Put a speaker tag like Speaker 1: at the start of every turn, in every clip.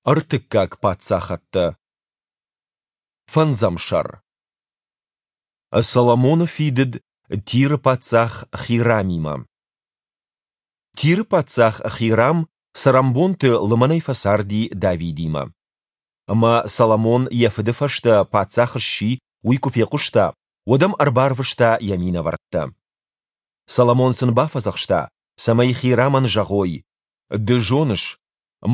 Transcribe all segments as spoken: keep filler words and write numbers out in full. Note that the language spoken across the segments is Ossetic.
Speaker 1: Ӕртыккаг паддзахӕдтӕ. Фӕндзӕм сӕр. Соломоны фидыд Тиры паддзах Хирамимӕ. Тиры паддзах Хирам цӕрӕнбонты лымӕнӕй фӕцарди Давидимӕ. Ӕмӕ Соломон йӕ фыды фӕстӕ паддзах сси, уый куы фехъуыста, уӕд ӕм ӕрбарвыста йӕ минӕвӕрттӕ. Соломон сын бафӕдзӕхста, цӕмӕй Хирамӕн зӕгъой: «Ды зоныс,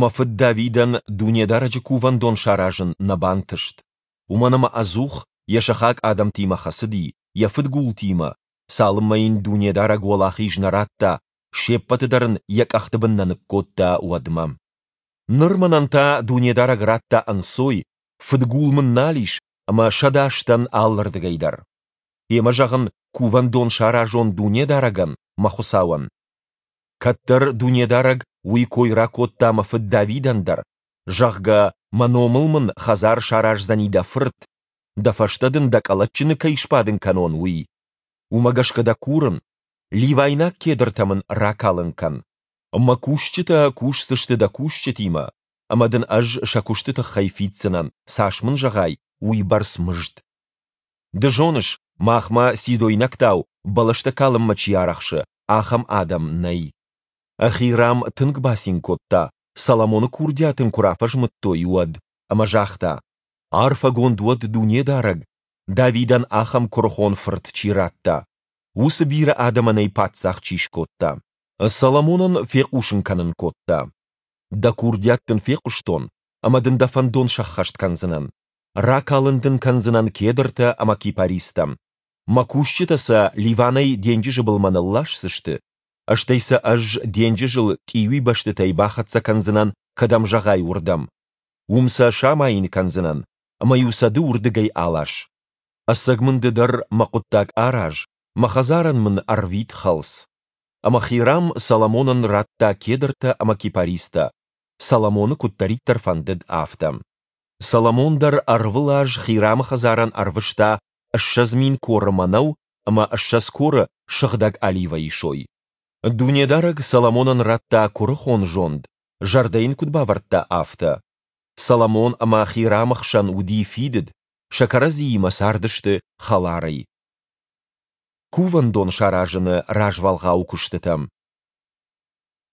Speaker 1: мӕ фыд Давидӕн Дунедарӕджы Кувӕндон саразын нӕ бантыст, уымӕн ӕмӕ ӕдзух йӕ сыхаг адӕмтимӕ хӕцыди, йӕ фыдгултимӕ, цалынмӕ йын Дунедарӕг уӕлахиз нӕ радта, се ппӕты дӕр ын йӕ къӕхты бын нӕ ныккодта, уӕдмӕ. Ныр мӕнӕн та Дунедарӕг радта ӕнцой, фыдгул мын нал ис ӕмӕ сӕдас дӕн алырдыгӕй дӕр. Гъемӕ, зӕгъын, кувӕндон саразон Дунедарӕгӕн, мӕ Хуыцауӕн. Кӕддӕр Дунедарӕг уый кой ракодта мӕ фыд Давидӕн дӕр, зӕгъгӕ, мӕ номыл мын хӕдзар сараздзӕни дӕ фырт, дӕ фӕстӕ дын дӕ къӕлӕтджыны кӕй сбадын кӕнон, уый. Уымӕ гӕсгӕ дӕ курын, ливайнаг кедртӕ мын ракалын кӕн. Мӕ кусджытӕ кусдзысты дӕ кусджытимӕ, ӕмӕ дын ӕз сӕ куысты тыххӕй фиддзынӕн, цас мын зӕгъай, уыйбӕрц мызд. Ды зоныс, махмӕ сидойнӕгтау бӕлӕстӕ калынмӕ чи арӕхсы, ахӕм адӕм нӕй. Хирам тынг бацин кодта, Соломоны курдиат ын куы рафӕзмыдтой, уӕд, ӕмӕ загъта: «Арфӕгонд уӕд Дунедарӕг, Давидӕн ахӕм куырыхон фырт чи радта, уыцы бирӕ адӕмӕн ӕй паддзах чи скодта!» Соломонӕн фехъусын кӕнын кодта: «Дӕ курдиат дын фехъуыстон ӕмӕ дын дӕ фӕндон сӕххӕст кӕндзынӕн. Ракалын дын кӕндзынӕн кедртӕ ӕмӕ кипаристӕ. Мӕ кусджытӕ сӕ Ливанӕй денджызы былмӕ нылласдзысты, стӕй сӕ ӕз денджызыл тъиуибӕстытӕй бахӕццӕ кӕндзынӕн, кӕдӕм зӕгъай, уырдӕм. Уым сӕ самайын кӕндзынӕн, ӕмӕ-иу сӕ ды уырдыгӕй алас. Ӕцӕг мын ды дӕр мӕ хъуыддаг араз, мӕ хӕдзарӕн мын ӕрвит хӕлц». Ӕмӕ Хирам Соломонӕн радта кедртӕ ӕмӕ кипаристӕ, Соломоны куыддӕриддӕр фӕндыд, афтӕ. Соломон дӕр ӕрвылаз Хирамы хӕдзарӕн ӕрвыста ссӕдз мин коры мӕнӕу ӕмӕ ссӕдз коры сыгъдӕг оливӕйы сой. Дунедарӕг Соломонӕн радта куырыхон зонд, зӕрдӕ йын куыд бавӕрдта, афтӕ. Соломон ӕмӕ Хирамы хсӕн уыди фидыд, сӕ кӕрӕдзиимӕ цардысты хӕларӕй. Кувӕндон саразыны развӕлгъау куыстытӕ.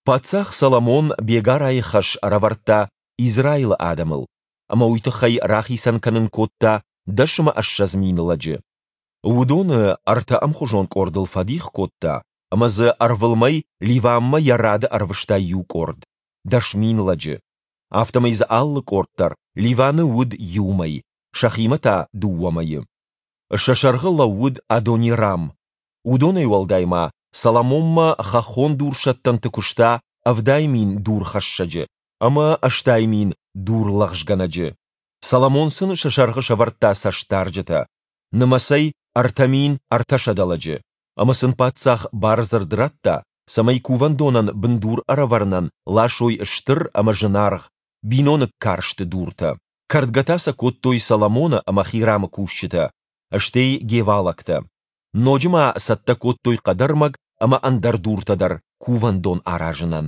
Speaker 1: Паддзах Соломон бегарайы хӕс ӕрӕвӕрдта Израилы адӕмыл, ӕмӕ уый тыххӕй рахицӕн кӕнын кодта дӕс ӕмӕ ссӕдз мин лӕджы. Уыдоны ӕртӕ ӕмхуызон къордыл фӕдих кодта, ӕмӕ дзы ӕрвылмӕй Ливанмӕ йӕ рады ӕрвыста иу къорд, дӕс мин лӕджы. Афтӕмӕй дзы алы къорд дӕр Ливаны уыд иу мӕй, сӕхимӕ та дыууӕ мӕйы. Сӕ сӕргъы лӕууыд Адонирам. Уыдонӕй уӕлдай ма Соломонмӕ хӕххон дурсӕттӕнты куыста ӕвдай мин дурхӕссӕджы ӕмӕ ӕстай мин дурлӕгъзгӕнӕджы. Соломон сын сӕ сӕргъы сӕвӕрдта цӕстдарджытӕ, нымӕцӕй ӕртӕ мин ӕртӕсӕдӕ лӕджы. Ӕмӕ сын паддзах бардзырд радта, цӕмӕй кувӕндонӕн бындур ӕрӕвӕрынӕн ласой стыр ӕмӕ зынаргъ, биноныг карсты дуртӕ. Кӕрдгӕ та сӕ кодтой Соломоны ӕмӕ Хирамы кусджытӕ, стӕй гевалӕгтӕ. Ноджы ма цӕттӕ кодтой хъӕдӕрмӕг ӕмӕ ӕндӕр дуртӕ дӕр кувӕндон аразынӕн.